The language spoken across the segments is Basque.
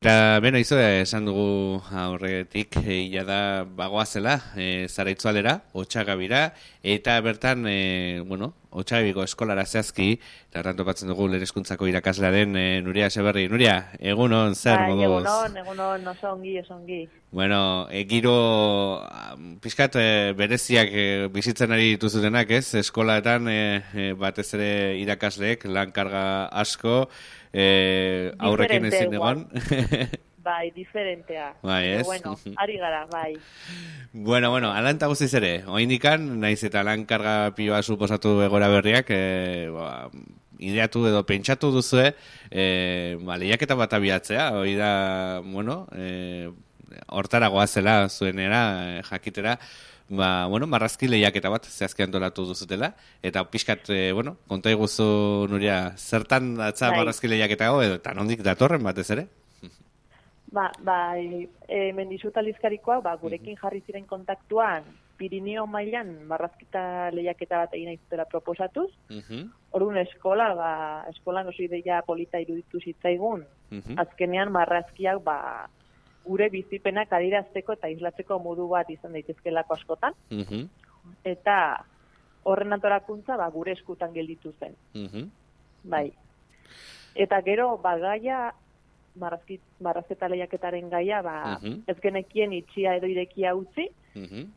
Eta, beno, izo, esan dugu aurretik, ia da bagoazela, zara itzualera, Otxagabira, eta bertan, Otxagabiko eskolara zehazki, eta horren topatzen dugu lehen hezkuntzako irakasla den Nuria Eseberri. Nuria, egunon, zer Bai, moduz? egunon, oso ongi. Bueno, giro pixkat bereziak bizitzen ari dituzutenak, ez? Eskolaetan batez ere irakasleek lan karga asko, aurrekin Diferente ezin igual. egon. Bai, diferentea. Bai, Baina, ez? bueno, ari gara, bai. Bueno, alanta guztiz ere, oindikan, naiz eta lan karga piloa suposatu egora berriak, ideatu edo pentsatu duzue, lehiaketa bat abiatzea, hori da, hortara goazela zuenera, jakitera, marrazki lehiaketa bat zehazki antolatu duzutela, eta pixkat, konta iguzu, Nuria, zertan datza Bai, marrazki lehiaketa hau, edo eta nondik datorren batez ere? bai, mendizuta lizkarikoa, gurekin jarri ziren kontaktuan, Pirineo mailan marrazkita lehiaketa bat egin aizutela proposatuz. Orduan eskolan oso ideia polita iruditu zitzaigun, azkenean marrazkiak, gure bizipenak adierazteko eta islatzeko modu bat izan daitezkelako askotan. Eta horren antolakuntza gure eskutan gelditu zen. Bai. Eta gero gaia marrazketa lehiaketaren gaia ez genekien itxia edo irekia utzi,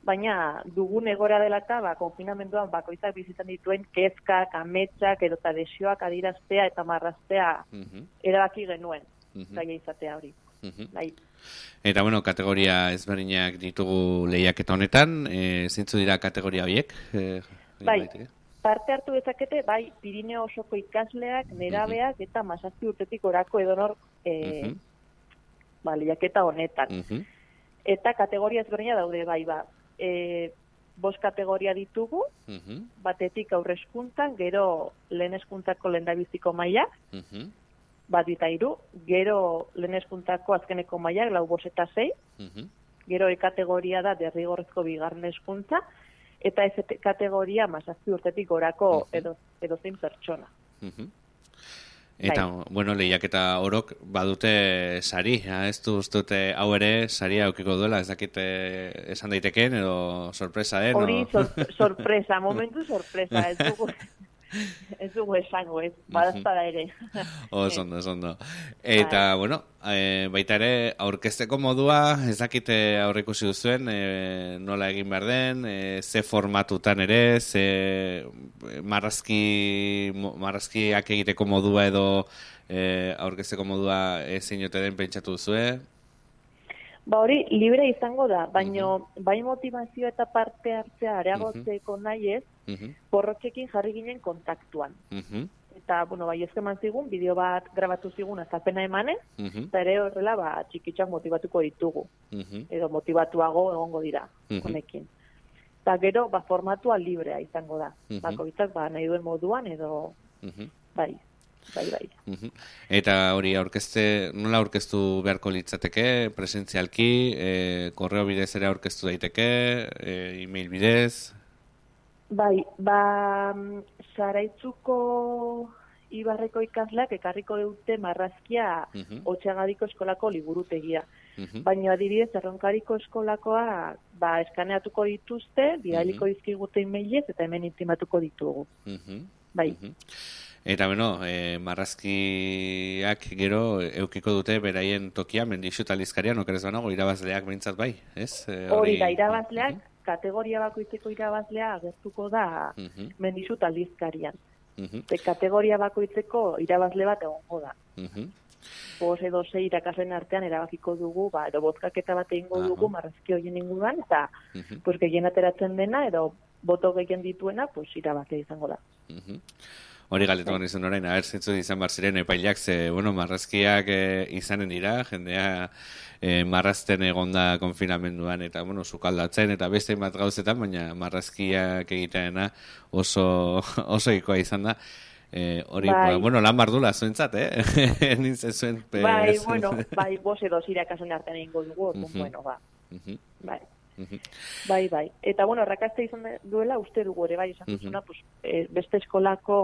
baina dugun egora dela eta konfinamenduan bakoitzak bizitzen dituen kezkak, ametsak edo eta desioak adieraztea eta marraztea erabaki genuen gaia izatea hori. Bai. Eta kategoria ezberdinak ditugu lehiaketa honetan, zeintzu dira kategoria horiek? Bai, parte hartu dezakete, bai, Pirineo osoko ikasleak, nerabeak eta 17 urtetik orako edonor lehiaketa honetan. Eta kategoria ezberdina daude, bai, 5 kategoria ditugu, batetik aurre hezkuntzan, gero lehen hezkuntzako lehendabiziko maila, 1 eta 3, gero lehen hezkuntzako azkeneko mailak 4, 5 eta 6, gero kategoria da derrigorrezko bigarren hezkuntza, eta ez kategoria 17 urtetik orako edozein pertsona. Eta, lehiaketa orok badute sari, ez du ustute hau ere saria aukiko duela, ez dakite esan daitekeen edo sorpresa, Hori sorpresa, momentu sorpresa, ez dugu esango, ez, badazpada ere. Oso. Eta, baita ere, aurkezteko modua, ez dakite aurrikusi duzuen, nola egin behar den, ze formatutan ere, ze marrazkiak egiteko modua edo aurkezteko modua ezin ote den pentsatu duzue? Hori libre izango da, baina bai motivazio eta parte hartzea areagotzeko nahi ez, porrotxekin jarri ginen kontaktuan. Eta, bai ezkeman zigun, bideo bat grabatu zigun azalpena emanez, eta ere horrela txikitxak motivatuko ditugu. Edo motivatuago egongo dira, honekin. Eta gero, formatua librea izango da. Bakoitzak nahi duen moduan edo, bai. Eta hori nola aurkeztu beharko litzateke, presentzialki, korreo bidez ere aurkeztu daiteke, e-mail bidez? Bai, Zaraitzuko Ibarreko ikasleak ekarriko dute marrazkia Otxagadiko eskolako liburutegia. Baina adibidez, Erronkariko eskolakoa eskaneatuko dituzte, bidaliko dizkigute e-mailez eta hemen intimatuko ditugu. Bai. Eta marrazkiak gero eukiko dute beraien tokia, Mendixu eta Lizkarian, okerez banago, irabazleak behintzat bai, ez? Hori da, irabazleak, kategoria bakoitzeko irabazlea agertuko da Mendixu eta Lizkarian. Kategoria bakoitzeko irabazle bat egongo da. 5 edo 6 irakasleen artean erabakiko dugu, edo bozkaketa bat egingo dugu marrazki horien inguruan, eta gehien ateratzen dena, edo boto gehien dituena, irabazle izango da. Hori galetuan izan orain, zentzu izan bar ziren epaileak, marrazkiak izanen dira, jendea marrazten egonda konfinamenduan, eta, sukaldatzen, eta beste bat gauzetan, baina marrazkiak egiteena oso ikoa izan da. Hori, lan bardula zuentzat, nintzen zuen. Bai, 5 edo 6 irakasleen artean egingo dugu, bai. Bai. Eta, errakaste izan duela, uste dugu ere, bai, esan duzuna, beste eskolako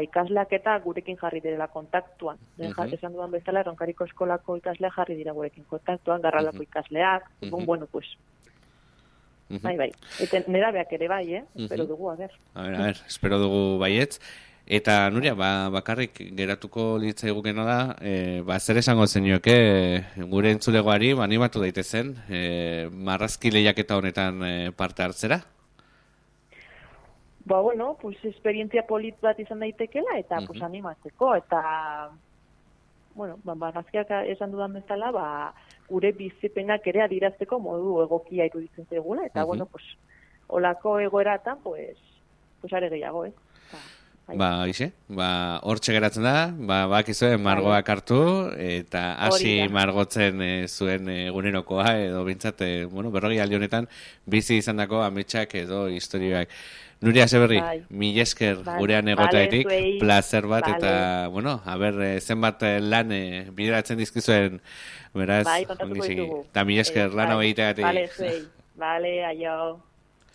ikasleak eta gurekin jarri direla kontaktuan. Esan dudan bezala, Erronkariko eskolako ikasleak jarri dira gurekin kontaktuan, Garralako ikasleak, bueno, pues, bai. Eta nerabeak ere bai, espero dugu, a ver, espero dugu baietz. Eta, Nuria, bakarrik geratuko litzaigukena da, zer esango zenioke gure entzulegoari animatu daitezen marrazki lehiaketa honetan parte hartzera? Bueno, pues esperientzia polit bat izan daitekela eta pues animatzeko eta bueno, marrazkiak esan dudan bezala, gure bizipenak ere adierazteko modu egokia iruditzen zaigula eta bueno, pues olako egoeratan pues are gehiago, Ixe, hortxe geratzen da, bakizue margoak hartu, eta hasi margotzen zuen egunerokoa, edo bintzat, berrogi aldi honetan, bizi izandako ametsak edo historioak. Nuria Seberri, mil esker gurean egoteatik, placer bat, eta, zenbat lan bideratzen dizkizuen, beraz, kontatuko ditugu. Eta mil esker lan hau egiteatik. Vale, aio.